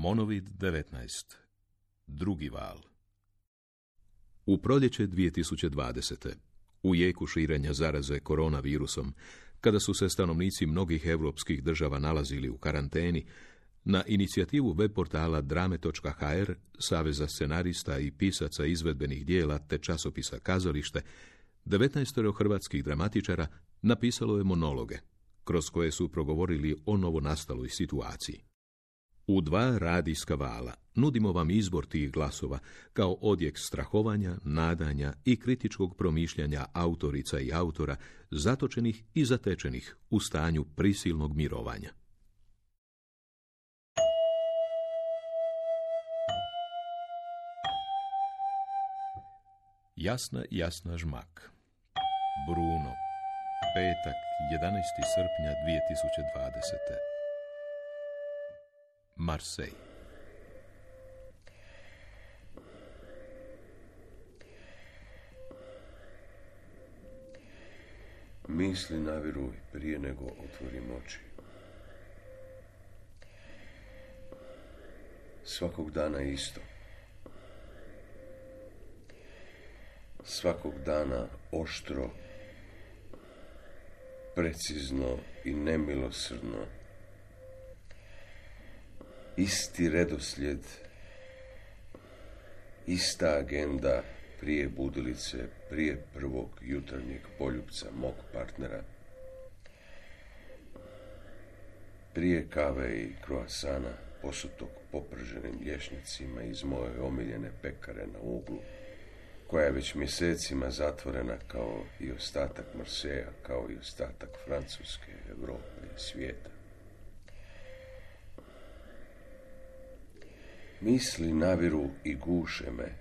Monovid 19. Drugi val. U proljeće 2020. u jeku širenja zaraze koronavirusom, kada su se stanovnici mnogih europskih država nalazili u karanteni, na inicijativu web portala drame.hr, Saveza scenarista i pisaca izvedbenih dijela te časopisa Kazalište, 19 hrvatskih dramatičara napisalo je monologe, kroz koje su progovorili o novonastaloj situaciji. U 2 radijska vala nudimo vam izbor tih glasova kao odjek strahovanja, nadanja i kritičkog promišljanja autorica i autora zatočenih i zatečenih u stanju prisilnog mirovanja. Jasna žmak. Bruno. Petak, 11. srpnja 2020. Marsej. Misli naviru prije nego otvorim oči. Svakog dana isto. Svakog dana oštro, precizno i nemilosrdno. Isti redoslijed, ista agenda prije budilice, prije prvog jutarnjeg poljupca mog partnera, prije kave i kroasana posutog poprženim lješnjacima iz moje omiljene pekare na uglu, koja je već mjesecima zatvorena kao i ostatak Marseja, kao i ostatak Francuske, Europe i svijeta. Misli naviru i guše me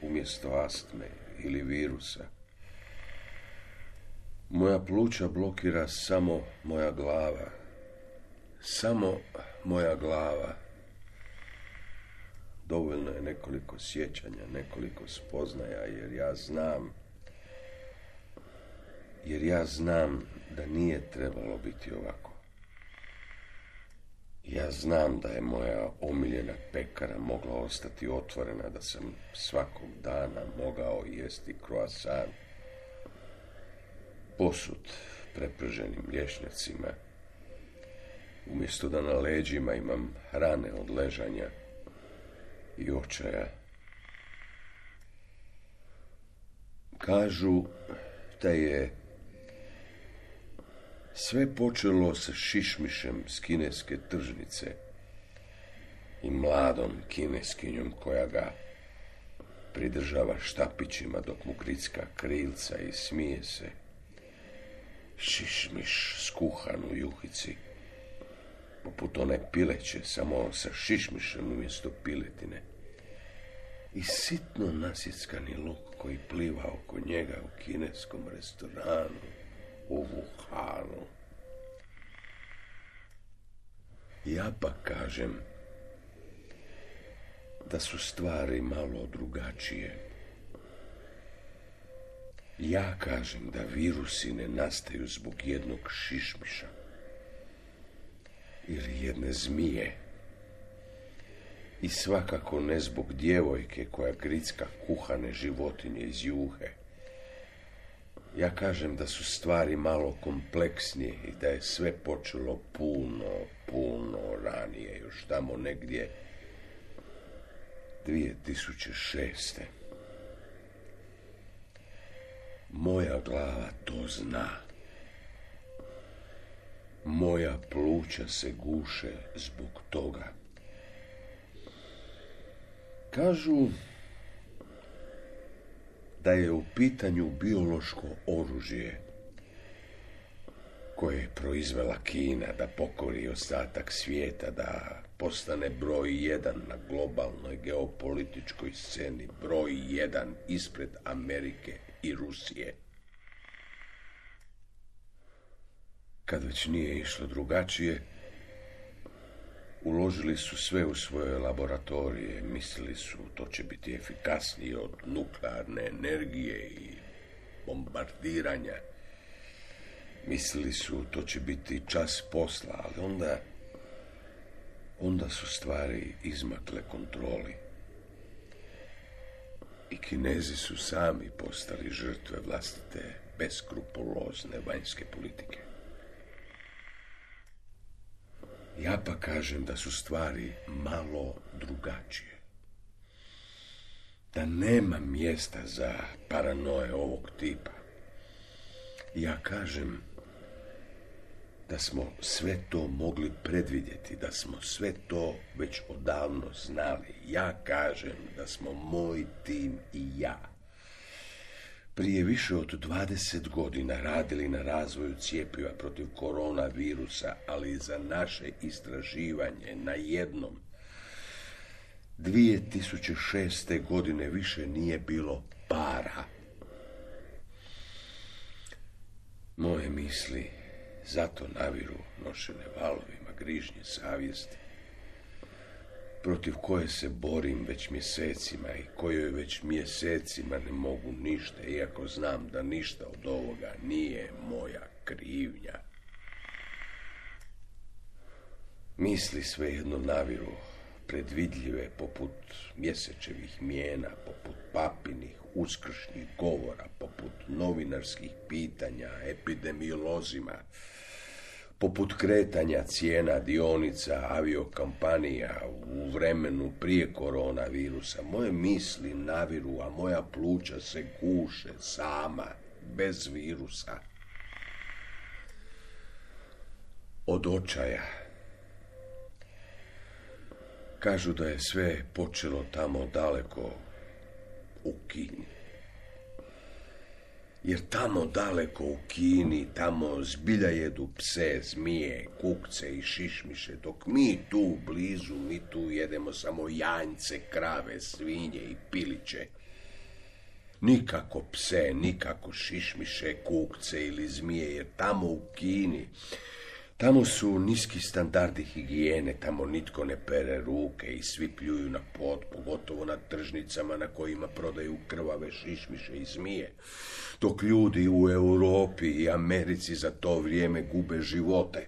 umjesto astme ili virusa. Moja pluća blokira samo moja glava. Samo moja glava. Dovoljno je nekoliko sjećanja, nekoliko spoznaja, jer ja znam da nije trebalo biti ovako. Ja znam da je moja omiljena pekara mogla ostati otvorena, da sam svakog dana mogao jesti kroasan posut preprženim lješnjacima, umjesto da na leđima imam rane od ležanja i očaja. Kažu da je sve počelo sa šišmišem s kineske tržnice i mladom kineskinjom koja ga pridržava štapićima dok mu gricka krilca i smije se. Šišmiš skuhan u juhici, poput one pileće, samo sa šišmišem umjesto piletine. I sitno nasjeckani luk koji pliva oko njega u kineskom restoranu u Wuhanu. Ja pa kažem da su stvari malo drugačije. Ja kažem da virusi ne nastaju zbog jednog šišmiša ili jedne zmije. I svakako ne zbog djevojke koja gricka kuhane životinje iz juhe. Ja kažem da su stvari malo kompleksnije i da je sve počelo puno ranije, još tamo negdje 2006. Moja glava to zna. Moja pluća se guše zbog toga. Kažu da je u pitanju biološko oružje koje je proizvela Kina da pokori ostatak svijeta, da postane broj 1 na globalnoj geopolitičkoj sceni, broj 1 ispred Amerike i Rusije. Kad već nije išlo drugačije, uložili su sve u svoje laboratorije, mislili su to će biti efikasnije od nuklearne energije i bombardiranja. Mislili su to će biti čas posla, ali onda onda su stvari izmakle kontroli. I Kinezi su sami postali žrtve vlastite beskrupulozne vanjske politike. Ja pa kažem da su stvari malo drugačije. Da nema mjesta za paranoje ovog tipa. Ja kažem da smo sve to mogli predvidjeti, da smo sve to već odavno znali. Ja kažem da smo moj tim i ja prije više od 20 godina radili na razvoju cjepiva protiv koronavirusa, ali za naše istraživanje na jednom 2006. godine više nije bilo para. Moje misli zato naviru nošene valovima grižnje savjesti, protiv koje se borim već mjesecima i kojoj već mjesecima ne mogu ništa, iako znam da ništa od ovoga nije moja krivnja. Misli svejedno naviru, predvidljive poput mjesečevih mijena, poput papinih uskršnjih govora, poput novinarskih pitanja epidemiolozima, poput kretanja cijena dionica aviokompanija u vremenu prije koronavirusa. Moje misli naviru, a moja pluća se guše sama, bez virusa. Od očaja. Kažu da je sve počelo tamo daleko u Kini. Jer tamo daleko u Kini, tamo zbilja jedu pse, zmije, kukce i šišmiše, dok mi tu blizu, mi tu jedemo samo janjce, krave, svinje i piliće. Nikako pse, nikako šišmiše, kukce ili zmije, jer tamo u Kini, tamo su niski standardi higijene, tamo nitko ne pere ruke i svi pljuju na pod, pogotovo na tržnicama na kojima prodaju krvave šišmiše i zmije, dok ljudi u Europi i Americi za to vrijeme gube živote.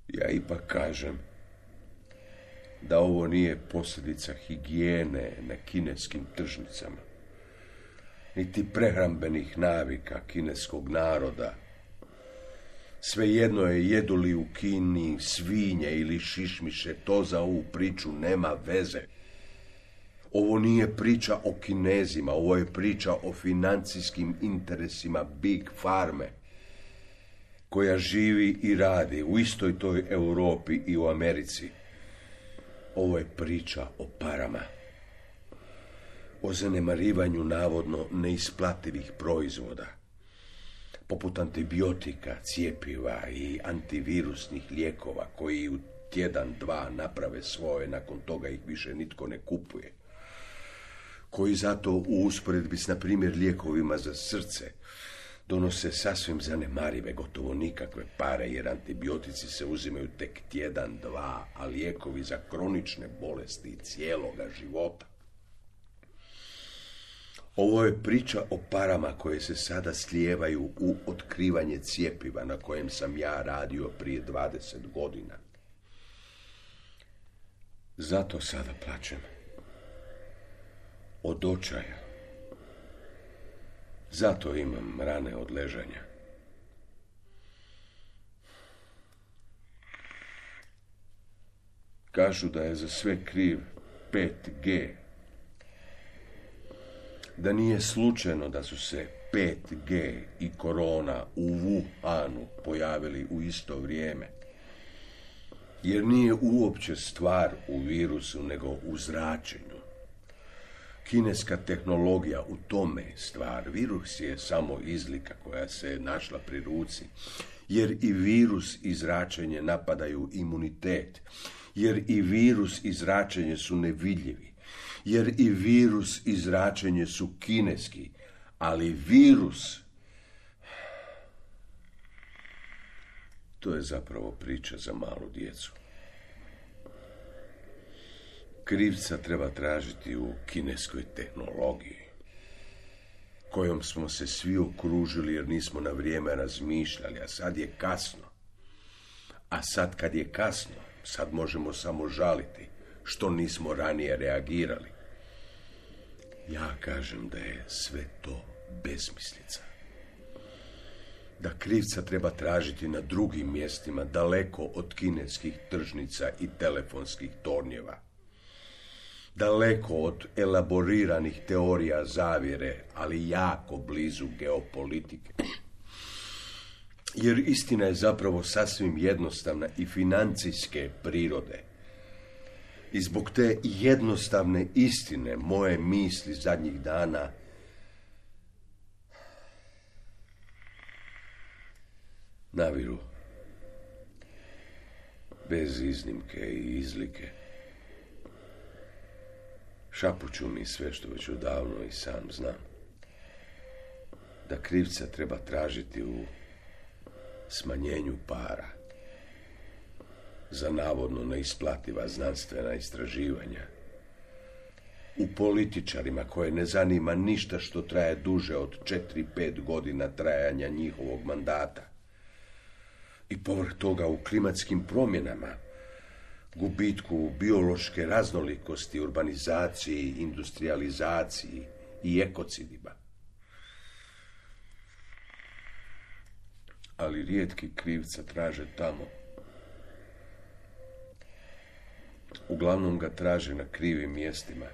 Ja ipak kažem da ovo nije posljedica higijene na kineskim tržnicama, niti prehrambenih navika kineskog naroda. Svejedno je jedu li u Kini svinje ili šišmiše, to za ovu priču nema veze. Ovo nije priča o Kinezima, ovo je priča o financijskim interesima Big Farme, koja živi i radi u istoj toj Europi i u Americi. Ovo je priča o parama, o zanemarivanju navodno neisplativih proizvoda, poput antibiotika, cjepiva i antivirusnih lijekova, koji u tjedan, dva naprave svoje, nakon toga ih više nitko ne kupuje. Koji zato u usporedbi s, na primjer, lijekovima za srce donose sasvim zanemarive, gotovo nikakve pare, jer antibiotici se uzimaju tek tjedan, dva, a lijekovi za kronične bolesti cijeloga života. Ovo je priča o parama koje se sada slijevaju u otkrivanje cjepiva na kojem sam ja radio prije 20 godina. Zato sada plačem. Od očaja. Zato imam rane od ležanja. Kažu da je za sve kriv 5G. Da nije slučajno da su se 5G i korona u Wuhanu pojavili u isto vrijeme. Jer nije uopće stvar u virusu, nego u zračenju. Kineska tehnologija u tome je stvar. Virus je samo izlika koja se našla pri ruci. Jer i virus i zračenje napadaju imunitet. Jer i virus i zračenje su nevidljivi. Jer i virus i zračenje su kineski. Ali virus, to je zapravo priča za malu djecu. Krivca treba tražiti u kineskoj tehnologiji. kojom smo se svi okružili jer nismo na vrijeme razmišljali, a sad je kasno. A sad kad je kasno, sad možemo samo žaliti što nismo ranije reagirali. Ja kažem da je sve to besmislica. Da krivca treba tražiti na drugim mjestima, daleko od kineskih tržnica i telefonskih tornjeva. Daleko od elaboriranih teorija zavjere, ali jako blizu geopolitike. Jer istina je zapravo sasvim jednostavna i financijske prirode. I zbog te jednostavne istine moje misli zadnjih dana naviru bez iznimke i izlike. Šapuću mi sve što već odavno i sam znam. Da krivca treba tražiti u smanjenju para za navodno neisplativa znanstvena istraživanja, u političarima koje ne zanima ništa što traje duže od 4-5 godina trajanja njihovog mandata, i povrh toga u klimatskim promjenama, gubitku biološke raznolikosti, urbanizaciji, industrializaciji i ekocidima. Ali rijetki krivca traže tamo. Uglavnom ga traže na krivim mjestima.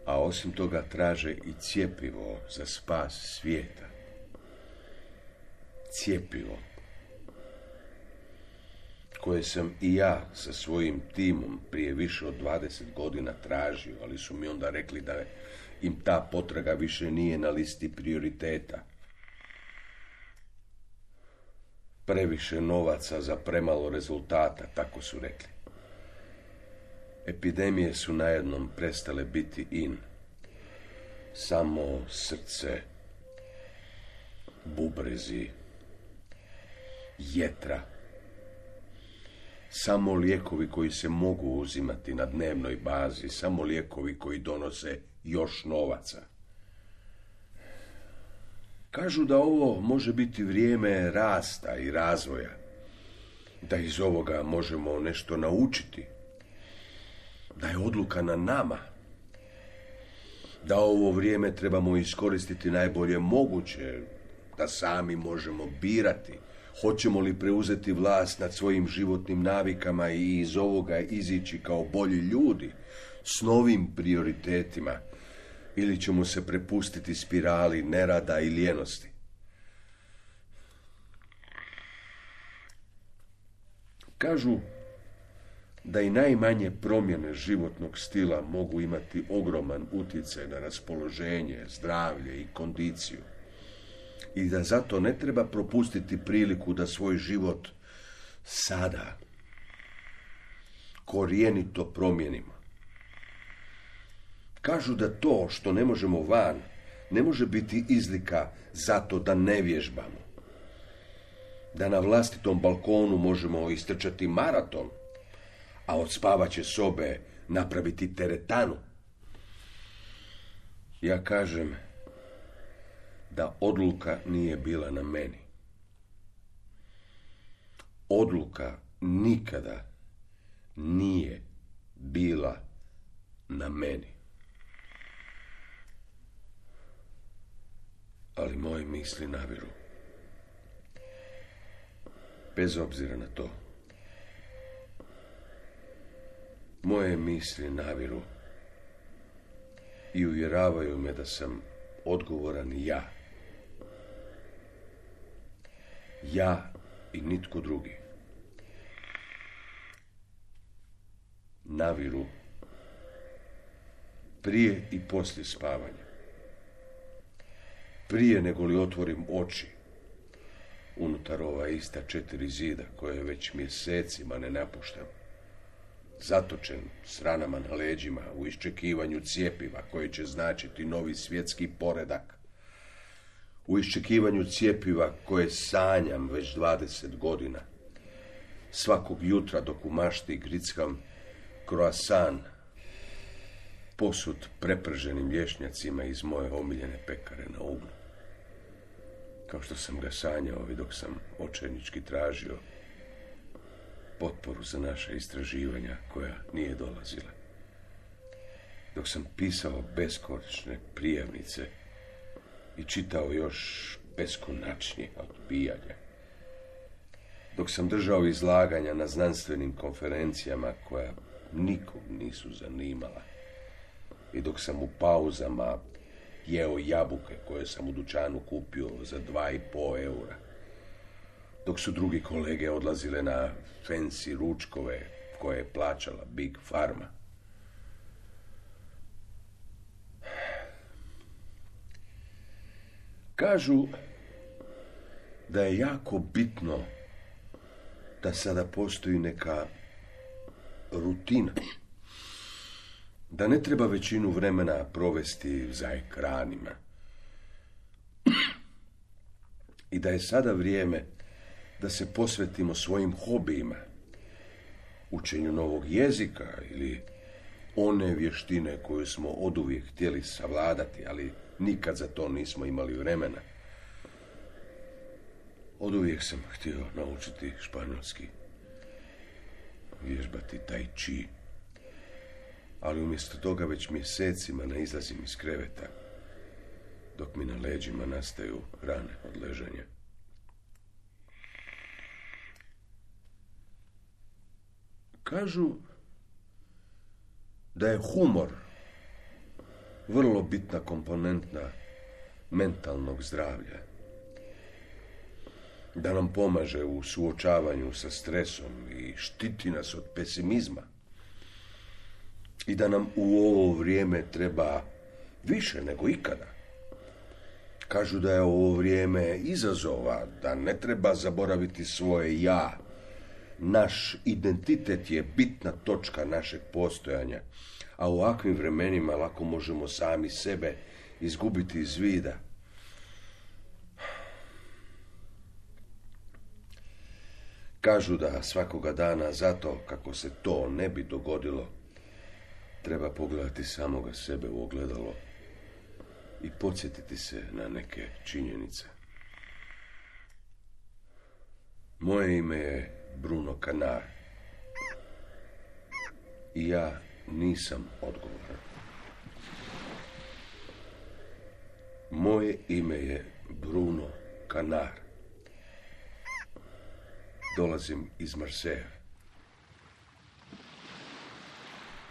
A osim toga traže i cjepivo za spas svijeta. Cjepivo koje sam i ja sa svojim timom prije više od 20 godina tražio, ali su mi onda rekli da im ta potraga više nije na listi prioriteta. Previše novaca za premalo rezultata, tako su rekli. Epidemije su najednom prestale biti in. Samo srce, bubrezi, jetra. Samo lijekovi koji se mogu uzimati na dnevnoj bazi, samo lijekovi koji donose još novaca. Kažu da ovo može biti vrijeme rasta i razvoja, da iz ovoga možemo nešto naučiti, da je odluka na nama, da ovo vrijeme trebamo iskoristiti najbolje moguće, da sami možemo birati hoćemo li preuzeti vlast nad svojim životnim navikama i iz ovoga izići kao bolji ljudi s novim prioritetima, ili ćemo se prepustiti spirali nerada i lijenosti. Kažu da i najmanje promjene životnog stila mogu imati ogroman utjecaj na raspoloženje, zdravlje i kondiciju. I da zato ne treba propustiti priliku da svoj život sada korijenito promijenimo. Kažu da to što ne možemo van ne može biti izlika zato da ne vježbamo. Da na vlastitom balkonu možemo istrčati maraton, a od spavaće sobe napraviti teretanu. Ja kažem da odluka nije bila na meni. Odluka nikada nije bila na meni. Ali moje misli naviru. Bez obzira na to. Moje misli naviru i uvjeravaju me da sam odgovoran ja. Ja i nitko drugi. Naviru prije i poslije spavanja. Prije nego li otvorim oči unutar ova ista 4 zida koje već mjesecima ne napuštam. Zatočen s ranama na leđima u iščekivanju cjepiva koje će značiti novi svjetski poredak. U iščekivanju cjepiva koje sanjam već 20 godina. Svakog jutra dok u mašti grickam croissant posut preprženim lješnjacima iz moje omiljene pekare na uglu. Kao što sam ga sanjao i dok sam očajnički tražio potporu za naša istraživanja koja nije dolazila. Dok sam pisao beskonačne prijavnice i čitao još beskonačnije odbijanja. Dok sam držao izlaganja na znanstvenim konferencijama koja nikog nisu zanimala. I dok sam u pauzama jeo jabuke koje sam u dućanu kupio za 2,5 eura. Dok su drugi kolege odlazile na fancy ručkove koje je plaćala Big Pharma. Kažu da je jako bitno da sada postoji neka rutina. Da ne treba većinu vremena provesti za ekranima. I da je sada vrijeme da se posvetimo svojim hobijima. Učenju novog jezika ili one vještine koju smo oduvijek htjeli savladati, ali nikad za to nismo imali vremena. Oduvijek sam htio naučiti španjolski, vježbati tai chi, ali umjesto toga već mjesecima ne izlazim iz kreveta, dok mi na leđima nastaju rane od ležanja. Kažu da je humor vrlo bitna komponenta mentalnog zdravlja. Da nam pomaže u suočavanju sa stresom i štiti nas od pesimizma. I da nam u ovo vrijeme treba više nego ikada. Kažu da je ovo vrijeme izazova, da ne treba zaboraviti svoje ja. Naš identitet je bitna točka našeg postojanja, a u ovakvim vremenima lako možemo sami sebe izgubiti iz vida. Kažu da svakoga dana zato, kako se to ne bi dogodilo, treba pogledati samoga sebe u ogledalo i podsjetiti se na neke činjenice. Moje ime je Bruno Canar i ja nisam odgovoran. Moje ime je Bruno Canar. Dolazim iz Marseja,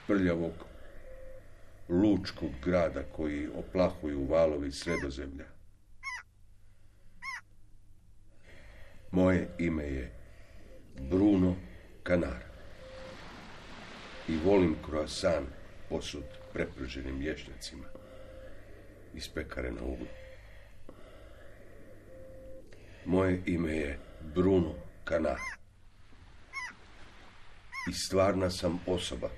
prljavog lučkog grada koji oplahuju valovi Sredozemlja. Moje ime je Bruno Canar i volim croissant posut preprženim lješnjacima iz pekare na uglu. Moje ime je Bruno Canar i stvarna sam osoba.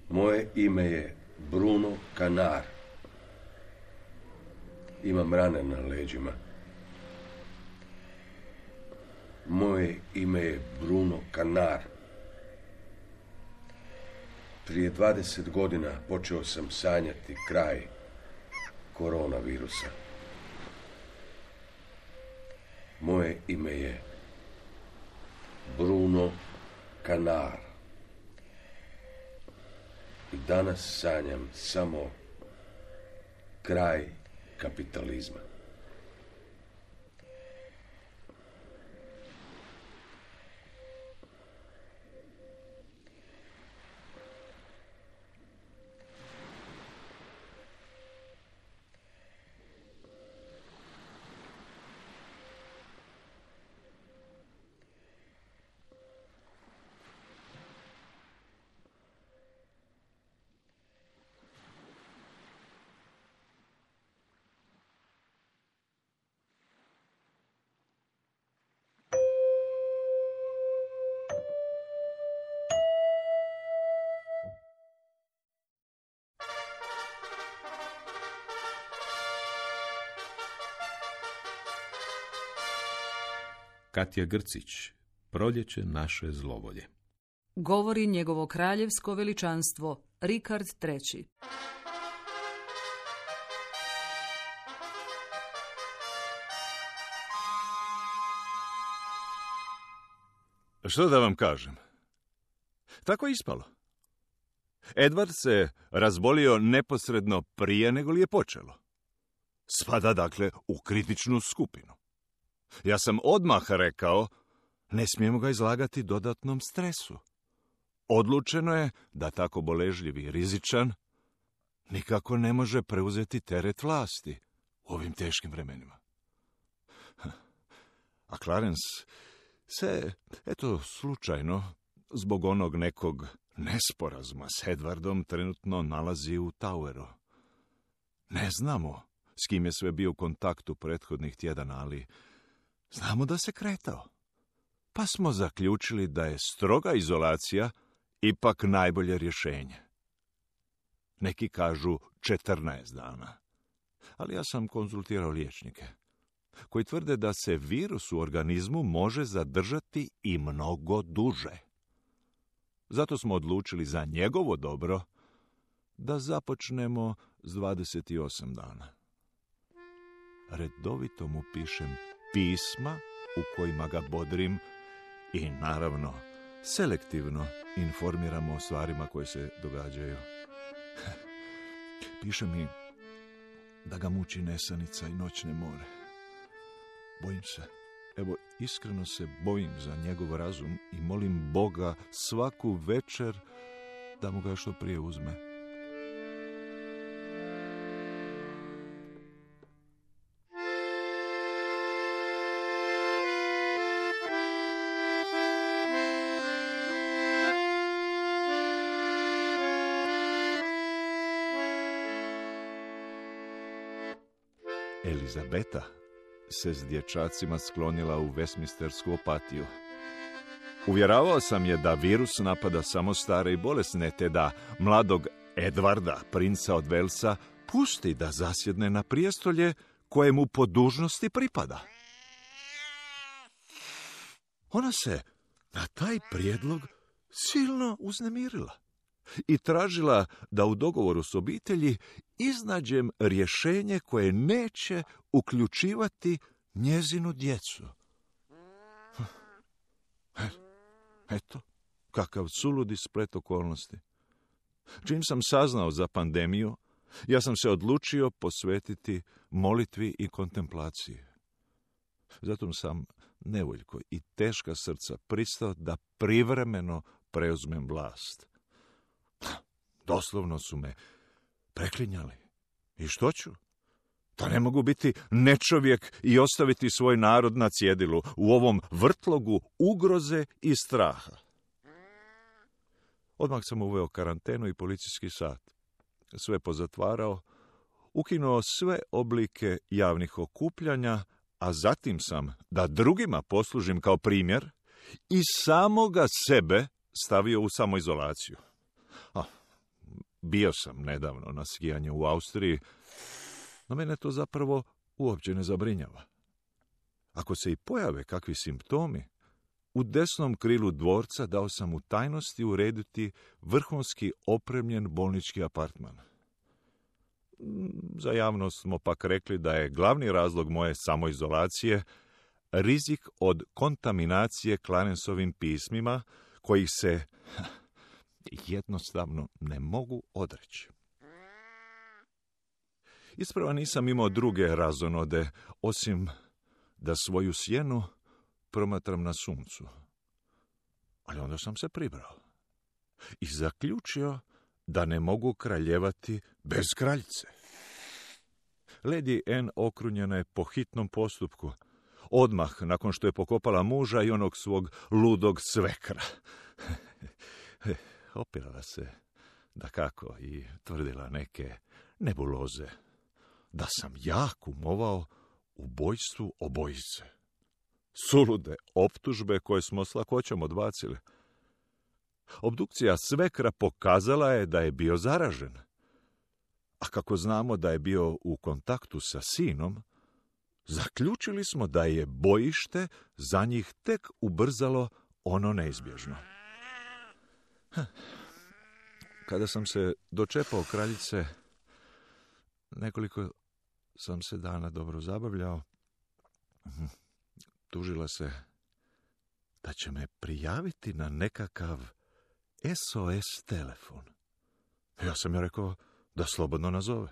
Moje ime je Bruno Canar. Imam rane na leđima. Moje ime je Bruno Canar. Prije 20 godina počeo sam sanjati kraj koronavirusa. Moje ime je Bruno Canar. I danas sanjam samo kraj kapitalizma. Katja Grcić, Proljeće naše zlovolje. Govori njegovo kraljevsko veličanstvo Rikard III. Što da vam kažem? Tako je ispalo. Edward se razbolio neposredno prije nego li je počelo. Spada dakle u kritičnu skupinu. Ja sam odmah rekao, ne smijemo ga izlagati dodatnom stresu. Odlučeno je da tako boležljiv i rizičan nikako ne može preuzeti teret vlasti u ovim teškim vremenima. A Clarence se, eto, slučajno, zbog onog nekog nesporazuma s Edwardom trenutno nalazi u Toweru. Ne znamo s kim je sve bio u kontaktu prethodnih tjedana, ali znamo da se kretao. Pa smo zaključili da je stroga izolacija ipak najbolje rješenje. Neki kažu 14 dana, ali ja sam konzultirao liječnike koji tvrde da se virus u organizmu može zadržati i mnogo duže. Zato smo odlučili za njegovo dobro da započnemo s 28 dana. Redovito mu pišem pisma u kojima ga bodrim i naravno selektivno informiramo o stvarima koje se događaju. Piše mi da ga muči nesanica i noćne more. Bojim se, evo iskreno se bojim za njegov razum i molim Boga svaku večer da mu ga što prije uzme. Elizabeta se s dječacima sklonila u Westminstersku apatiju. Uvjeravao sam je da virus napada samo stare i bolesne, te da mladog Edwarda, princa od Velsa, pusti da zasjedne na prijestolje koje mu po dužnosti pripada. Ona se na taj prijedlog silno uznemirila i tražila da u dogovoru s obitelji iznađem rješenje koje neće uključivati njezinu djecu. Eto, kakav suludi splet okolnosti. Čim sam saznao za pandemiju, ja sam se odlučio posvetiti molitvi i kontemplaciji. Zato sam nevoljko i teška srca pristao da privremeno preuzmem vlast. Doslovno su me preklinjali. I što ću? Da ne mogu biti nečovjek i ostaviti svoj narod na cjedilu u ovom vrtlogu ugroze i straha. Odmah sam uveo karantenu i policijski sat. Sve pozatvarao, ukinuo sve oblike javnih okupljanja, a zatim sam, da drugima poslužim kao primjer, i samoga sebe stavio u samoizolaciju. Bio sam nedavno na skijanju u Austriji, no mene to zapravo uopće ne zabrinjava. Ako se i pojave kakvi simptomi, u desnom krilu dvorca dao sam u tajnosti urediti vrhunski opremljen bolnički apartman. Za javnost smo pak rekli da je glavni razlog moje samoizolacije rizik od kontaminacije Clarencovim pismima, kojih se jednostavno ne mogu odreći. Isprava nisam imao druge razonode, osim da svoju sjenu promatram na suncu. Ali onda sam se pribrao i zaključio da ne mogu kraljevati bez kraljice. Lady Anne okrunjena je po hitnom postupku, odmah nakon što je pokopala muža i onog svog ludog svekra. Opirala se, dakako, i tvrdila neke nebuloze, da sam ja kumovao ubojstvu obojice. Sulude optužbe koje smo s lakoćom odbacili. Obdukcija svekra pokazala je da je bio zaražen. A kako znamo da je bio u kontaktu sa sinom, zaključili smo da je bojište za njih tek ubrzalo ono neizbježno. Kada sam se dočepao kraljice, nekoliko sam se dana dobro zabavljao. Tužila se da će me prijaviti na nekakav SOS telefon. Ja sam joj rekao da slobodno nazove.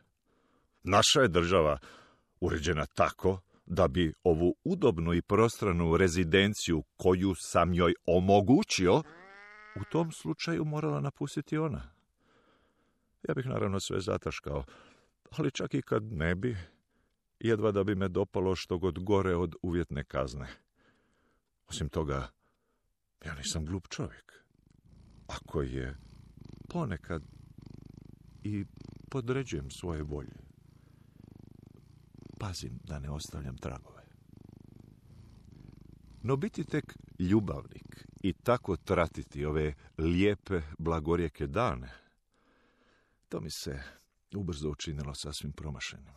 Naša je država uređena tako da bi ovu udobnu i prostranu rezidenciju koju sam joj omogućio, u tom slučaju morala napustiti ona. Ja bih naravno sve zataškao, ali čak i kad ne bi, jedva da bi me dopalo što god gore od uvjetne kazne. Osim toga, ja nisam glup čovjek. Ako je ponekad i podređujem svoje volje, pazim da ne ostavljam tragove. No biti tek ljubavnik i tako tratiti ove lijepe, blagorjeke dane, to mi se ubrzo učinilo sasvim promašenim.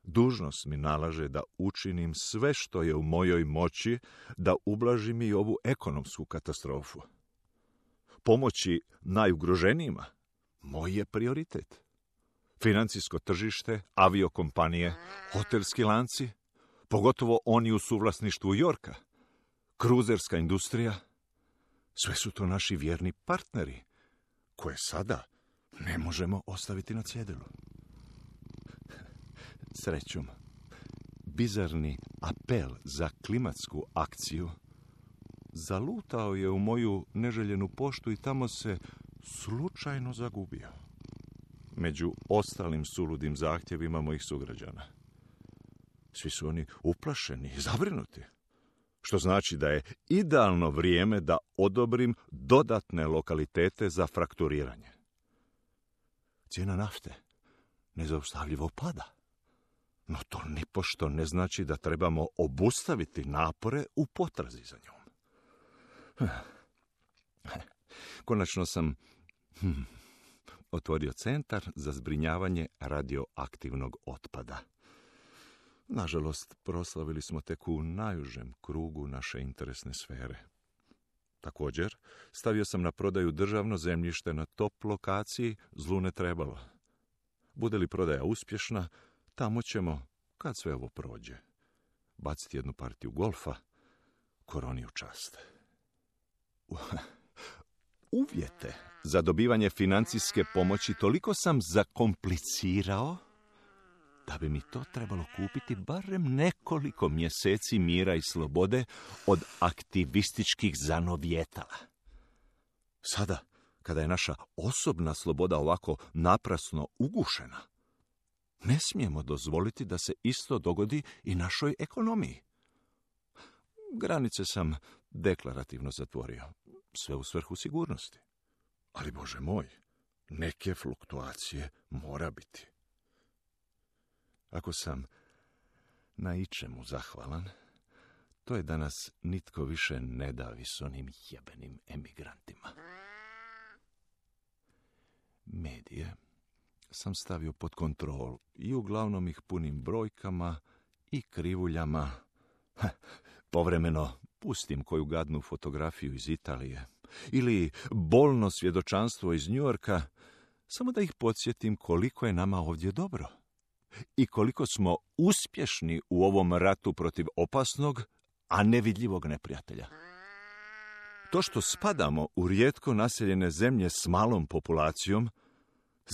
Dužnost mi nalaže da učinim sve što je u mojoj moći da ublažim i ovu ekonomsku katastrofu. Pomoći najugroženijima moj je prioritet. Financijsko tržište, aviokompanije, hotelski lanci, pogotovo oni u suvlasništvu Yorka, kruzerska industrija, sve su to naši vjerni partneri, koje sada ne možemo ostaviti na cjedilu. Srećom, bizarni apel za klimatsku akciju zalutao je u moju neželjenu poštu i tamo se slučajno zagubio među ostalim suludim zahtjevima mojih sugrađana. Svi su oni uplašeni i zabrinuti, što znači da je idealno vrijeme da odobrim dodatne lokalitete za frakturiranje. Cijena nafte nezaustavljivo pada, no to nipošto ne znači da trebamo obustaviti napore u potrazi za njom. Konačno sam otvorio centar za zbrinjavanje radioaktivnog otpada. Nažalost, proslavili smo tek u najužem krugu naše interesne sfere. Također, stavio sam na prodaju državno zemljište na top lokaciji, zlu ne trebalo. Bude li prodaja uspješna, tamo ćemo, kad sve ovo prođe, baciti jednu partiju golfa, koroni u čast. Uvjete za dobivanje financijske pomoći toliko sam zakomplicirao da bi mi to trebalo kupiti barem nekoliko mjeseci mira i slobode od aktivističkih zanovjetala. Sada, kada je naša osobna sloboda ovako naprasno ugušena, ne smijemo dozvoliti da se isto dogodi i našoj ekonomiji. Granice sam deklarativno zatvorio, sve u svrhu sigurnosti. Ali, Bože moj, neke fluktuacije mora biti. Ako sam na ičemu zahvalan, to je da nas nitko više ne davi s onim jebenim emigrantima. Medije sam stavio pod kontrolu i uglavnom ih punim brojkama i krivuljama. Povremeno pustim koju gadnu fotografiju iz Italije ili bolno svjedočanstvo iz Njujorka, samo da ih podsjetim koliko je nama ovdje dobro i koliko smo uspješni u ovom ratu protiv opasnog, a nevidljivog neprijatelja. To što spadamo u rijetko naseljene zemlje s malom populacijom,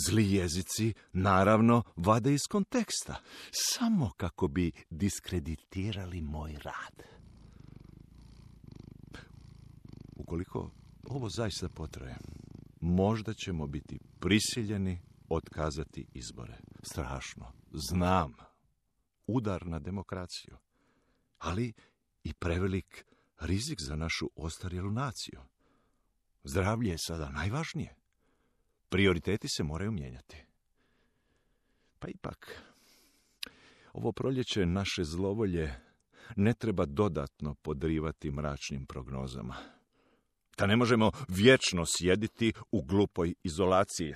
zli jezici, naravno, vade iz konteksta, samo kako bi diskreditirali moj rad. Ukoliko ovo zaista potraje, možda ćemo biti prisiljeni otkazati izbore. Strašno, znam, udar na demokraciju, ali i prevelik rizik za našu ostarjelu naciju. Zdravlje je sada najvažnije. Prioriteti se moraju mijenjati. Pa ipak, ovo proljeće naše zlovolje ne treba dodatno podrivati mračnim prognozama. Da ne možemo vječno sjediti u glupoj izolaciji.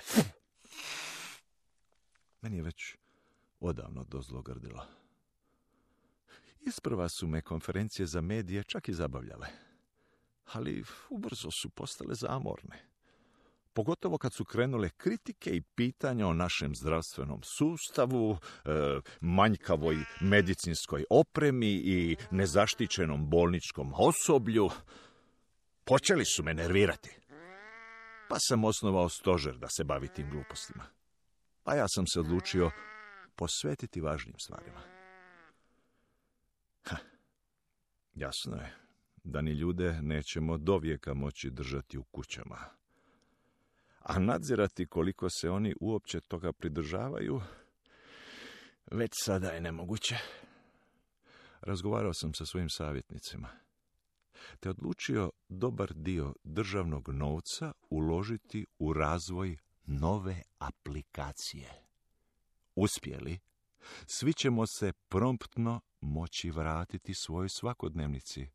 Meni je već odavno dozlogrdilo. Isprva su me konferencije za medije čak i zabavljale. ali ubrzo su postale zamorne. Pogotovo kad su krenule kritike i pitanja o našem zdravstvenom sustavu, manjkavoj medicinskoj opremi i nezaštićenom bolničkom osoblju. Počeli su me nervirati. Pa sam osnovao stožer da se bavi tim glupostima. A ja sam se odlučio posvetiti važnim stvarima. Jasno je da ni ljude nećemo dovijeka moći držati u kućama. A nadzirati koliko se oni uopće toga pridržavaju, već sada je nemoguće. Razgovarao sam sa svojim savjetnicima, te odlučio dobar dio državnog novca uložiti u razvoj nove aplikacije. Uspjeli, svi ćemo se promptno moći vratiti svojoj svakodnevnici,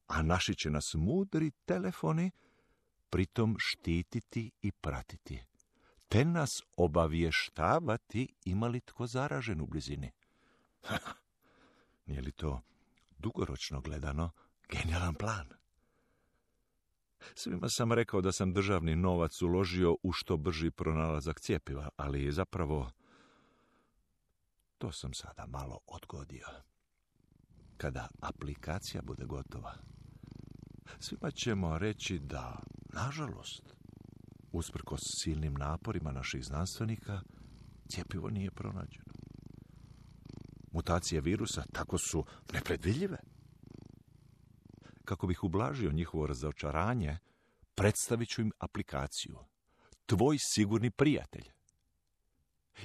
a naši će nas mudri telefoni pritom štititi i pratiti, te nas obavještavati ima li tko zaražen u blizini. Nije li to dugoročno gledano genijalan plan? Svima sam rekao da sam državni novac uložio u što brži pronalazak cjepiva, ali zapravo to sam sada malo odgodio. Kada aplikacija bude gotova, svima ćemo reći da, nažalost, usprkos silnim naporima naših znanstvenika, cjepivo nije pronađeno. Mutacije virusa tako su nepredvidljive. Kako bih ublažio njihovo razočaranje, predstavit ću im aplikaciju Tvoj sigurni prijatelj.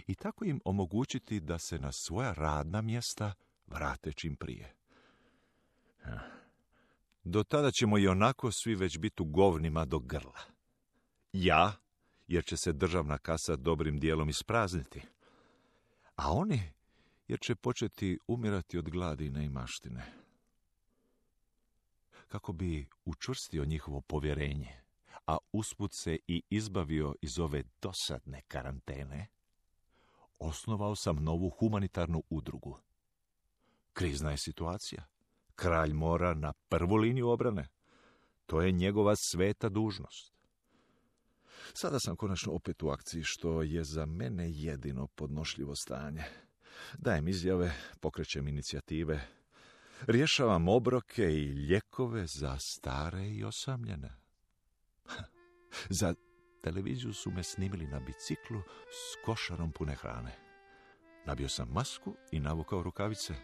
I tako im omogućiti da se na svoja radna mjesta vrate čim prije. Do tada ćemo i onako svi već biti u govnima do grla. Ja, jer će se državna kasa dobrim dijelom isprazniti, a oni, jer će početi umirati od gladi i neimaštine. Kako bi učvrstio njihovo povjerenje, a usput se i izbavio iz ove dosadne karantene, osnovao sam novu humanitarnu udrugu. Krizna je situacija. Kralj mora na prvu liniju obrane. To je njegova sveta dužnost. Sada sam konačno opet u akciji, što je za mene jedino podnošljivo stanje. Dajem izjave, pokrećem inicijative, rješavam obroke i lijekove za stare i osamljene. Za televiziju su me snimili na biciklu s košarom pune hrane. Nabio sam masku i navukao rukavice,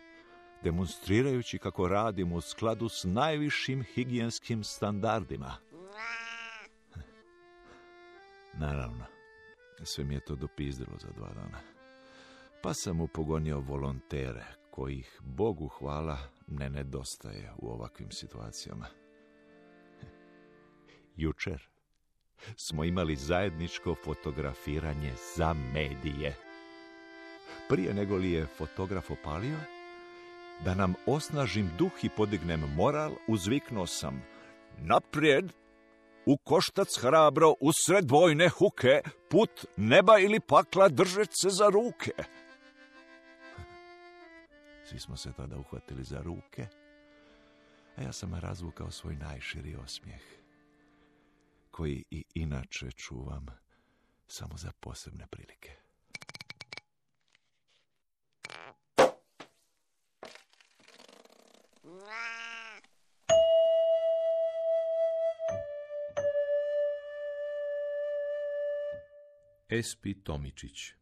demonstrirajući kako radim u skladu s najvišim higijenskim standardima. Naravno, sve mi je to dopizdilo za 2 dana. Pa sam upogonio volontere, kojih, Bogu hvala, ne nedostaje u ovakvim situacijama. Jučer smo imali zajedničko fotografiranje za medije. Prije nego li je fotograf opalio, da nam osnažim duh i podignem moral, uzviknuo sam: naprijed, u koštac hrabro, usred vojne huke, put neba ili pakla držeć se za ruke. Svi smo se tada uhvatili za ruke, a ja sam razvukao svoj najširi osmijeh, koji i inače čuvam samo za posebne prilike. Espi Tomičić.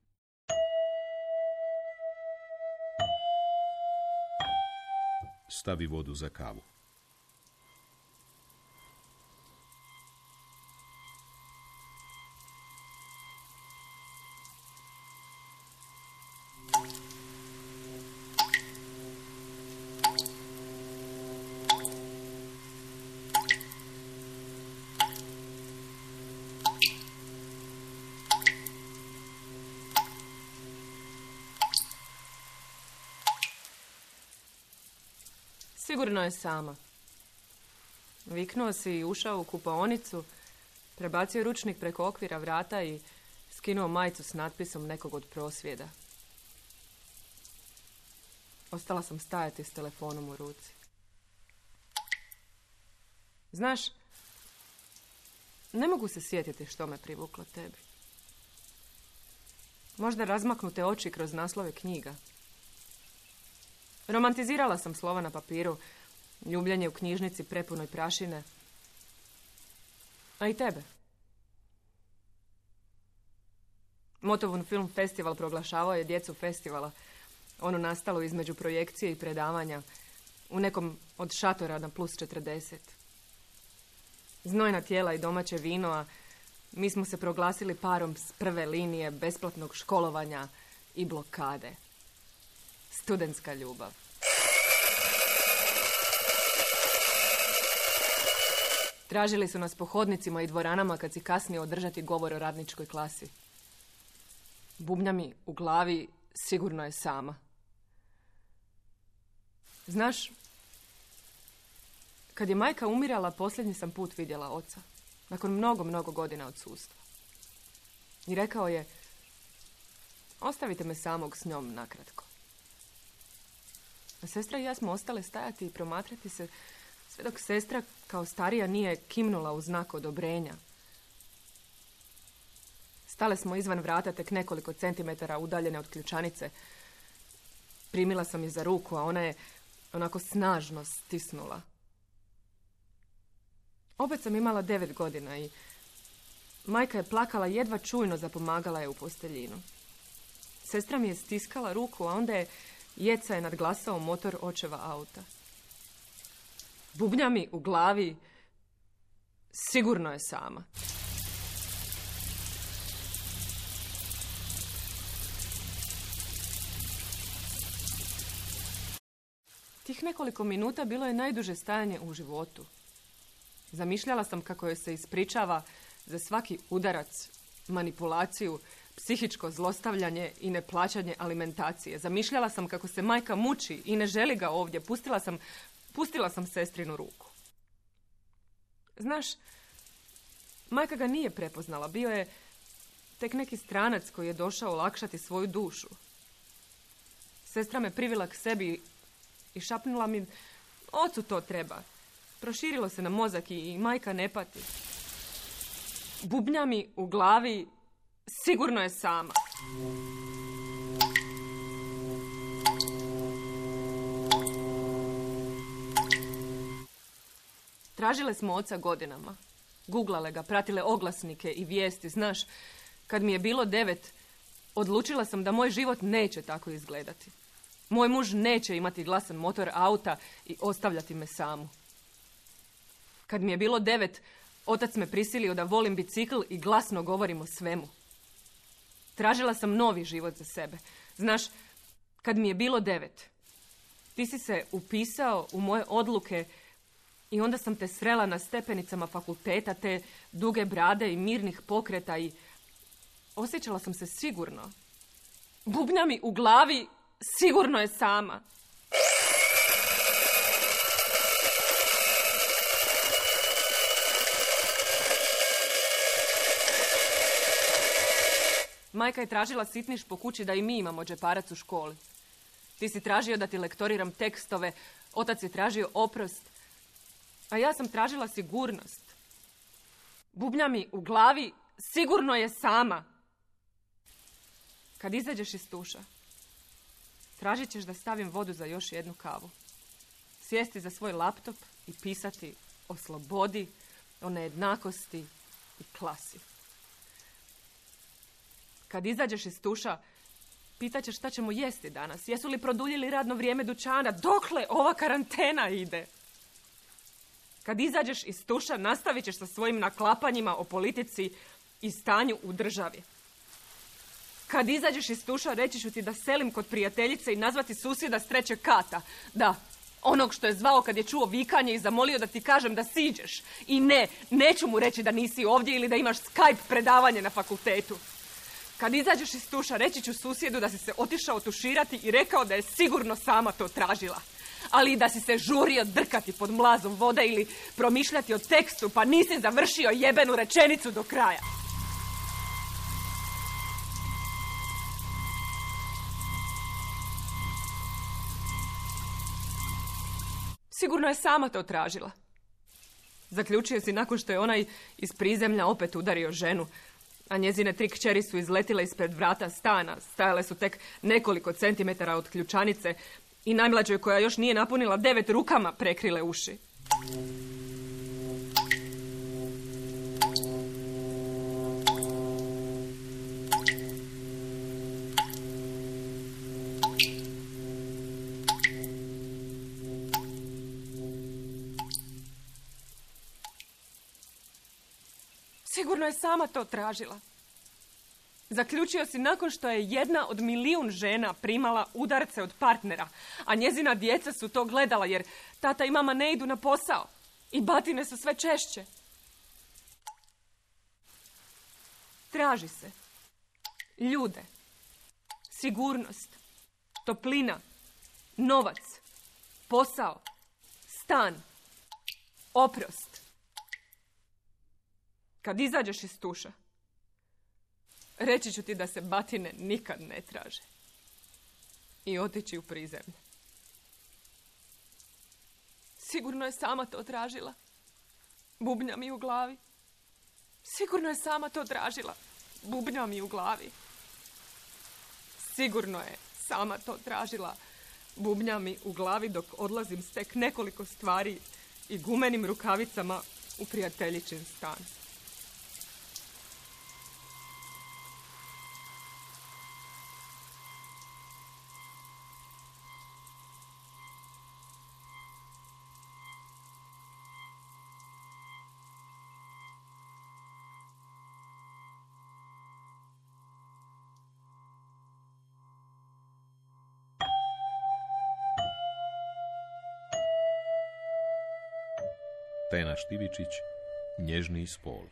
Stavi vodu za kavu. Sigurno je sama. Viknuo si i ušao u kupaonicu, prebacio ručnik preko okvira vrata i skinuo majicu s natpisom nekog od prosvjeda. Ostala sam stajati s telefonom u ruci. Znaš, ne mogu se sjetiti što me privuklo tebi. Možda razmaknute oči kroz naslove knjiga. Romantizirala sam slova na papiru, ljubljenje u knjižnici prepunoj prašine. A i tebe. Motovun film festival proglašavao je djecu festivala. Ono nastalo između projekcije i predavanja u nekom od šatora na plus 40. Znojna tijela i domaće vino, a mi smo se proglasili parom s prve linije besplatnog školovanja i blokade. Studentska ljubav. Tražili su nas po hodnicima i dvoranama kad si kasnije održati govor o radničkoj klasi. Bubnja mi u glavi sigurno je sama. Znaš, kad je majka umirala, posljednji sam put vidjela oca. Nakon mnogo godina odsustva. I rekao je, ostavite me samog s njom nakratko. A sestra i ja smo ostale stajati i promatrati se, sve dok sestra kao starija nije kimnula u znak odobrenja. Stale smo izvan vrata tek nekoliko centimetara udaljene od ključanice. Primila sam je za ruku, a ona je onako snažno stisnula. Opet sam imala 9 godina i majka je plakala, jedva čujno zapomagala je u posteljinu. Sestra mi je stiskala ruku, a onda je jeca je nadglasao motor očeva auta. Bubnja mi u glavi sigurno je sama. Tih nekoliko minuta bilo je najduže stajanje u životu. Zamišljala sam kako joj se ispričava za svaki udarac, manipulaciju, psihičko zlostavljanje i neplaćanje alimentacije. Zamišljala sam kako se majka muči i ne želi ga ovdje. Pustila sam sestrinu ruku. Znaš, majka ga nije prepoznala. Bio je tek neki stranac koji je došao olakšati svoju dušu. Sestra me privila k sebi i šapnula mi, ocu to treba. Proširilo se na mozak i majka ne pati. Bubnja mi u glavi sigurno je sama. Tražile smo oca godinama. Guglale ga, pratile oglasnike i vijesti. Znaš, kad mi je bilo 9, odlučila sam da moj život neće tako izgledati. Moj muž neće imati glasan motor auta i ostavljati me samu. Kad mi je bilo 9, otac me prisilio da volim bicikl i glasno govorim o svemu. Tražila sam novi život za sebe. Znaš, kad mi je bilo 9, ti si se upisao u moje odluke i onda sam te srela na stepenicama fakulteta, te duge brade i mirnih pokreta i osjećala sam se sigurno. Bubnja mi u glavi sigurno je sama. Majka je tražila sitniš po kući da i mi imamo džeparac u školi. Ti si tražio da ti lektoriram tekstove, otac je tražio oprost, a ja sam tražila sigurnost. Bubnja mi u glavi sigurno je sama. Kad izađeš iz tuša, tražit ćeš da stavim vodu za još jednu kavu. Sjesti za svoj laptop i pisati o slobodi, o nejednakosti i klasi. Kad izađeš iz tuša, pitaćeš šta ćemo jesti danas. Jesu li produljili radno vrijeme dućana? Dokle ova karantena ide? Kad izađeš iz tuša, nastavit ćeš sa svojim naklapanjima o politici i stanju u državi. Kad izađeš iz tuša, reći ću ti da selim kod prijateljice i nazvati susjeda s 3. kata. Da, onog što je zvao kad je čuo vikanje i zamolio da ti kažem da siđeš. I ne, neću mu reći da nisi ovdje ili da imaš Skype predavanje na fakultetu. Kad izađeš iz tuša, reći ću susjedu da si se otišao tuširati i rekao da je sigurno sama to tražila. Ali i da si se žurio drkati pod mlazom vode ili promišljati o tekstu, pa nisi završio jebenu rečenicu do kraja. Sigurno je sama to tražila. Zaključio si nakon što je onaj iz prizemlja opet udario ženu, a njezine 3 kćeri su izletile ispred vrata stana. Stajale su tek nekoliko centimetara od ključanice i najmlađoj, koja još nije napunila 9, rukama prekrile uši. Sigurno je sama to tražila. Zaključio si nakon što je 1 od 1.000.000 žena primala udarce od partnera, a njezina djeca su to gledala jer tata i mama ne idu na posao i batine su sve češće. Traži se ljude, sigurnost, toplina, novac, posao, stan, oprost. Kad izađeš iz tuša, reći ću ti da se batine nikad ne traže i otići u prizemlje. Sigurno je sama to tražila. Bubnja mi u glavi. Sigurno je sama to tražila. Bubnja mi u glavi. Sigurno je sama to tražila. Bubnja mi u glavi dok odlazim s tek nekoliko stvari i gumenim rukavicama u prijateljičin stan. Tena Štivičić, Nježni spol.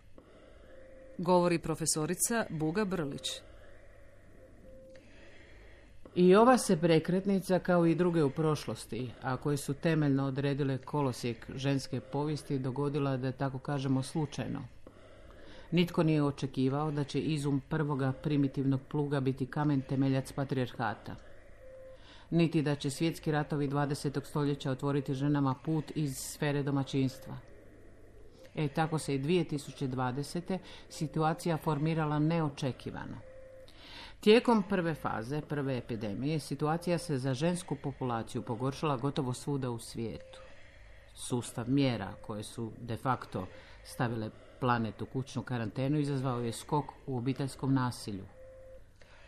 Govori profesorica Buga Brlić. I ova se prekretnica, kao i druge u prošlosti, a koje su temeljno odredile kolosijek ženske povijesti, dogodila, da tako kažemo, slučajno. Nitko nije očekivao da će izum prvoga primitivnog pluga biti kamen temeljac patrijarhata. Niti da će svjetski ratovi 20. stoljeća otvoriti ženama put iz sfere domaćinstva. Tako se i 2020. situacija formirala neočekivano. Tijekom prve faze, prve epidemije, situacija se za žensku populaciju pogoršala gotovo svuda u svijetu. Sustav mjera koje su de facto stavile planet u kućnu karantenu izazvao je skok u obiteljskom nasilju.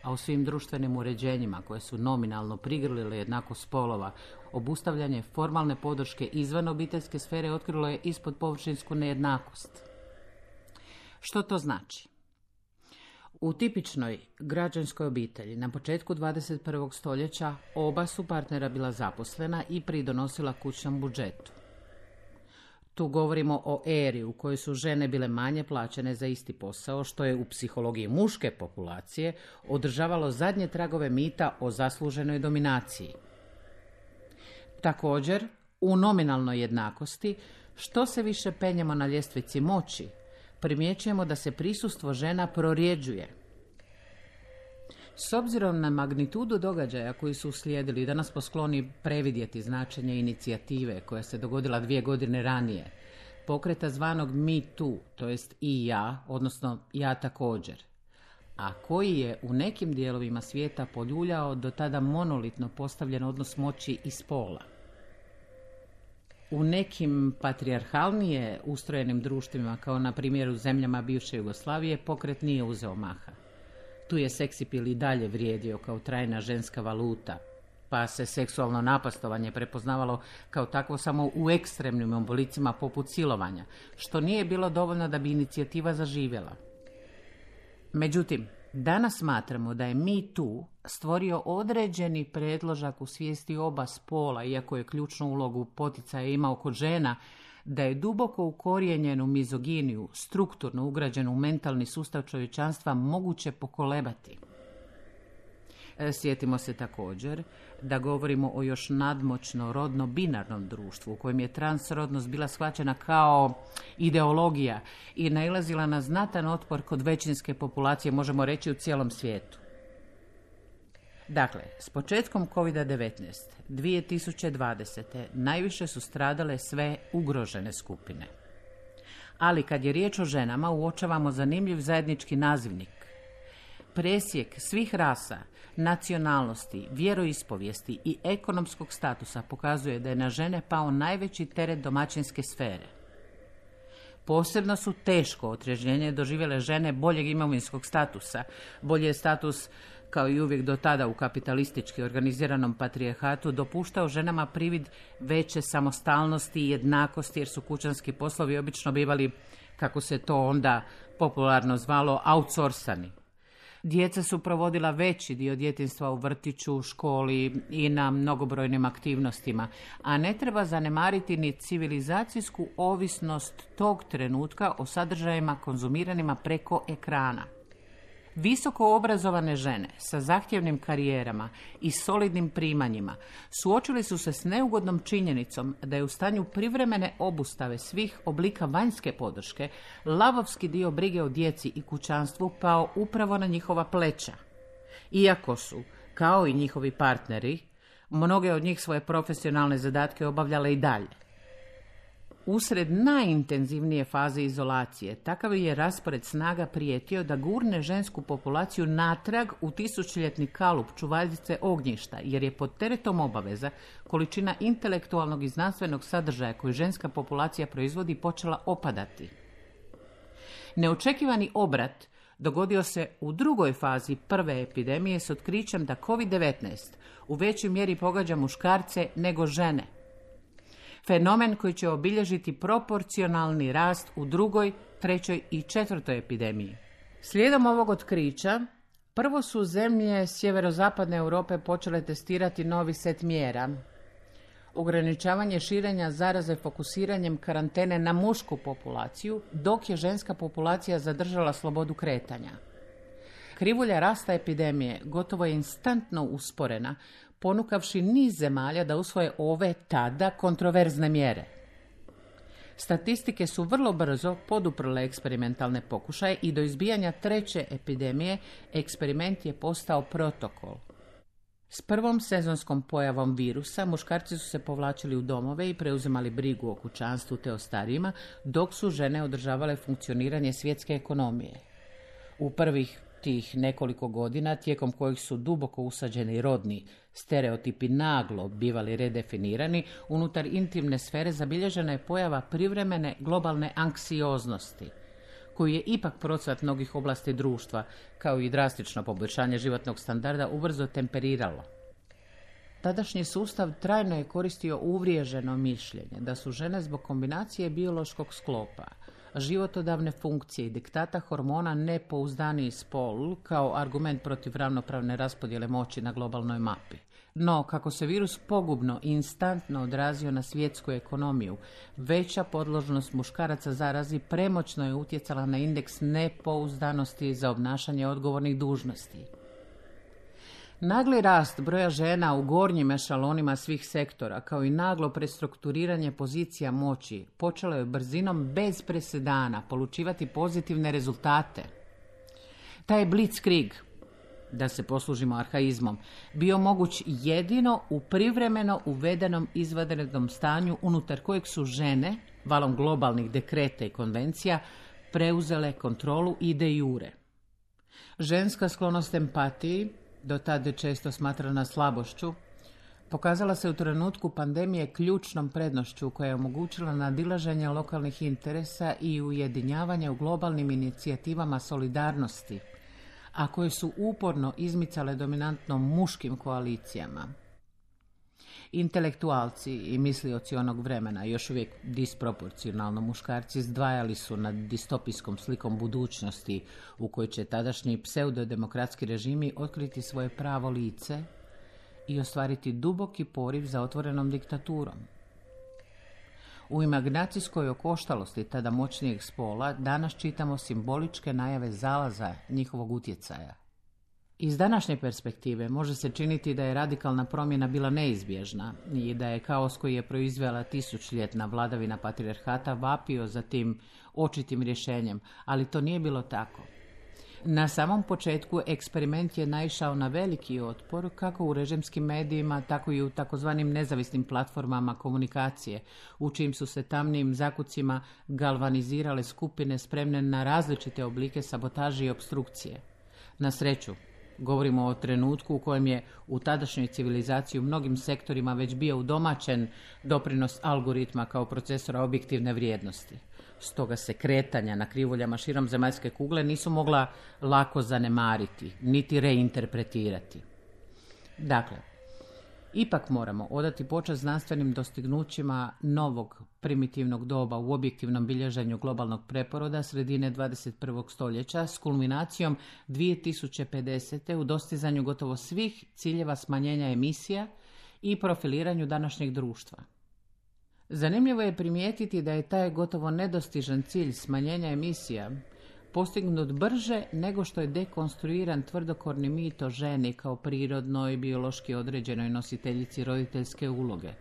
A u svim društvenim uređenjima koje su nominalno prigrlile jednakost spolova, obustavljanje formalne podrške izvan obiteljske sfere otkrilo je ispod površinsku nejednakost. Što to znači? U tipičnoj građanskoj obitelji na početku 21. stoljeća oba su partnera bila zaposlena i pridonosila kućnom budžetu. Tu govorimo o eri u kojoj su žene bile manje plaćene za isti posao, što je u psihologiji muške populacije održavalo zadnje tragove mita o zasluženoj dominaciji. Također, u nominalnoj jednakosti, što se više penjemo na ljestvici moći, primjećujemo da se prisustvo žena prorjeđuje. S obzirom na magnitudu događaja koji su uslijedili, danas smo skloni previdjeti značenje inicijative koja se dogodila 2 godine ranije, pokreta zvanog Me Too, to jest i ja, odnosno ja također, a koji je u nekim dijelovima svijeta poljuljao do tada monolitno postavljen odnos moći i spola. U nekim patrijarhalnije ustrojenim društvima, kao na primjer u zemljama bivše Jugoslavije, pokret nije uzeo maha. Tu je seksipil i dalje vrijedio kao trajna ženska valuta, pa se seksualno napastovanje prepoznavalo kao takvo samo u ekstremnim oblicima poput silovanja, što nije bilo dovoljno da bi inicijativa zaživjela. Međutim, danas smatramo da je Me Too stvorio određeni predložak u svijesti oba spola, iako je ključnu ulogu poticaja imao kod žena, da je duboko ukorijenjenu mizoginiju, strukturno ugrađenu u mentalni sustav čovječanstva, moguće pokolebati. Sjetimo se također da govorimo o još nadmoćno rodno-binarnom društvu u kojem je transrodnost bila shvaćena kao ideologija i nailazila na znatan otpor kod većinske populacije, možemo reći u cijelom svijetu. Dakle, s početkom COVID-19 2020. najviše su stradale sve ugrožene skupine. Ali kad je riječ o ženama, uočavamo zanimljiv zajednički nazivnik. Presjek svih rasa, nacionalnosti, vjeroispovijesti i ekonomskog statusa pokazuje da je na žene pao najveći teret domaćinske sfere. Posebno su teško otrežnjenje doživjele žene boljeg imovinskog statusa. Bolji je status, kao i uvijek do tada u kapitalistički organiziranom patrijarhatu, dopuštao ženama privid veće samostalnosti i jednakosti, jer su kućanski poslovi obično bivali, kako se to onda popularno zvalo, outsourcani. Djeca su provodila veći dio djetinjstva u vrtiću, školi i na mnogobrojnim aktivnostima, a ne treba zanemariti ni civilizacijsku ovisnost tog trenutka o sadržajima konzumiranima preko ekrana. Visoko obrazovane žene sa zahtjevnim karijerama i solidnim primanjima suočili su se s neugodnom činjenicom da je u stanju privremene obustave svih oblika vanjske podrške lavovski dio brige o djeci i kućanstvu pao upravo na njihova pleća. Iako su, kao i njihovi partneri, mnoge od njih svoje profesionalne zadatke obavljale i dalje. Usred najintenzivnije faze izolacije, takav je raspored snaga prijetio da gurne žensku populaciju natrag u tisućljetni kalup čuvaljice ognjišta, jer je pod teretom obaveza količina intelektualnog i znanstvenog sadržaja koju ženska populacija proizvodi počela opadati. Neočekivani obrat dogodio se u drugoj fazi prve epidemije s otkrićem da COVID-19 u većoj mjeri pogađa muškarce nego žene. Fenomen koji će obilježiti proporcionalni rast u drugoj, trećoj i četvrtoj epidemiji. Slijedom ovog otkrića, prvo su zemlje sjeverozapadne Europe počele testirati novi set mjera. Ograničavanje širenja zaraze fokusiranjem karantene na mušku populaciju, dok je ženska populacija zadržala slobodu kretanja. Krivulja rasta epidemije gotovo je instantno usporena, ponukavši niz zemalja da usvoje ove tada kontroverzne mjere. Statistike su vrlo brzo poduprle eksperimentalne pokušaje i do izbijanja treće epidemije eksperiment je postao protokol. S prvom sezonskom pojavom virusa muškarci su se povlačili u domove i preuzimali brigu o kućanstvu te o starijima, dok su žene održavale funkcioniranje svjetske ekonomije. U prvih tih nekoliko godina, tijekom kojih su duboko usađeni rodni stereotipi naglo bivali redefinirani, unutar intimne sfere zabilježena je pojava privremene globalne anksioznosti, koju je ipak procvat mnogih oblasti društva, kao i drastično poboljšanje životnog standarda, ubrzo temperiralo. Tadašnji sustav trajno je koristio uvriježeno mišljenje da su žene zbog kombinacije biološkog sklopa, životodavne funkcije i diktata hormona nepouzdaniji spol kao argument protiv ravnopravne raspodjele moći na globalnoj mapi. No, kako se virus pogubno i instantno odrazio na svjetsku ekonomiju, veća podložnost muškaraca zarazi premoćno je utjecala na indeks nepouzdanosti za obnašanje odgovornih dužnosti. Nagli rast broja žena u gornjim ešalonima svih sektora, kao i naglo prestrukturiranje pozicija moći, počelo je brzinom bez presedana polučivati pozitivne rezultate. Taj blitzkrieg, da se poslužimo arhaizmom, bio moguć jedino u privremeno uvedenom izvanrednom stanju unutar kojeg su žene, valom globalnih dekreta i konvencija, preuzele kontrolu i de jure. Ženska sklonost empatiji, do tada često smatrana slabošću, pokazala se u trenutku pandemije ključnom prednošću koja je omogućila nadilaženje lokalnih interesa i ujedinjavanje u globalnim inicijativama solidarnosti, a koje su uporno izmicale dominantno muškim koalicijama. Intelektualci i mislioci onog vremena, još uvijek disproporcionalno muškarci, zdvajali su nad distopijskom slikom budućnosti u kojoj će tadašnji pseudodemokratski režimi otkriti svoje pravo lice i ostvariti duboki poriv za otvorenom diktaturom. U imaginacijskoj okoštalosti tada moćnijeg spola danas čitamo simboličke najave zalaza njihovog utjecaja. Iz današnje perspektive može se činiti da je radikalna promjena bila neizbježna i da je kaos koji je proizvela tisućljetna vladavina patrijarhata vapio za tim očitim rješenjem, ali to nije bilo tako. Na samom početku eksperiment je naišao na veliki otpor kako u režimskim medijima, tako i u takozvanim nezavisnim platformama komunikacije, u čijim su se tamnim zakucima galvanizirale skupine spremne na različite oblike sabotaže i obstrukcije. Na sreću, govorimo o trenutku u kojem je u tadašnjoj civilizaciji u mnogim sektorima već bio udomaćen doprinos algoritma kao procesora objektivne vrijednosti. Stoga se kretanja na krivuljama širom zemaljske kugle nisu mogla lako zanemariti, niti reinterpretirati. Dakle, ipak moramo odati počast znanstvenim dostignućima novog primitivnog doba u objektivnom bilježenju globalnog preporoda sredine 21. stoljeća s kulminacijom 2050. u dostizanju gotovo svih ciljeva smanjenja emisija i profiliranju današnjeg društva. Zanimljivo je primijetiti da je taj gotovo nedostižan cilj smanjenja emisija postignut brže nego što je dekonstruiran tvrdokorni mit o ženi kao prirodnoj, biološki određenoj nositeljici roditeljske uloge,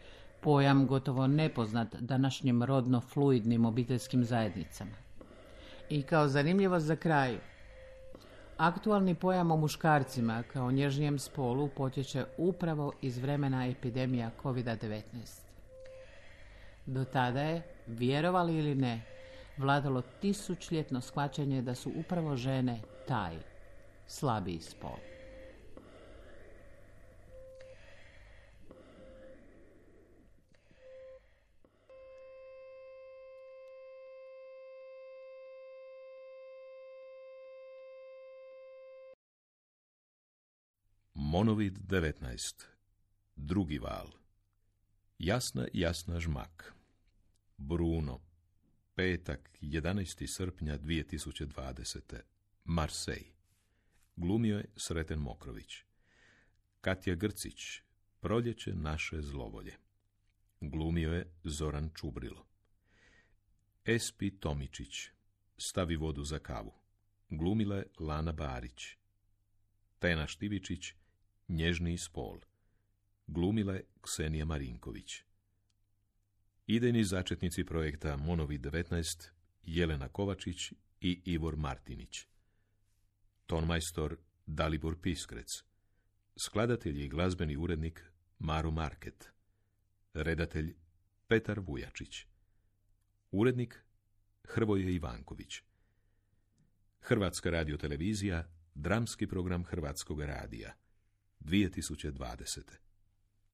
pojam gotovo nepoznat današnjim rodno fluidnim obiteljskim zajednicama. I kao zanimljivost za kraj, aktualni pojam o muškarcima kao nježnijem spolu potječe upravo iz vremena epidemija COVID-19. Do tada je, vjerovali ili ne, vladalo tisućljetno shvaćanje da su upravo žene taj slabiji spol. Monovid 19. Drugi val. Jasna žmak. Bruno. Petak, 11. srpnja 2020. Marseille. Glumio je Sreten Mokrović. Katja Grcić. Proljeće naše zlovolje. Glumio je Zoran Čubrilo. Espi Tomičić. Stavi vodu za kavu. Glumila je Lana Barić. Tena Štivičić. Nježniji spol. Glumila je Ksenija Marinković. Idejni začetnici projekta Monovid 19, Jelena Kovačić i Ivor Martinić. Tonmajstor Dalibor Piskrec. Skladatelj i glazbeni urednik Maro Market. Redatelj Petar Vujačić. Urednik Hrvoje Ivanković. Hrvatska radiotelevizija, dramski program Hrvatskog radija. 2020.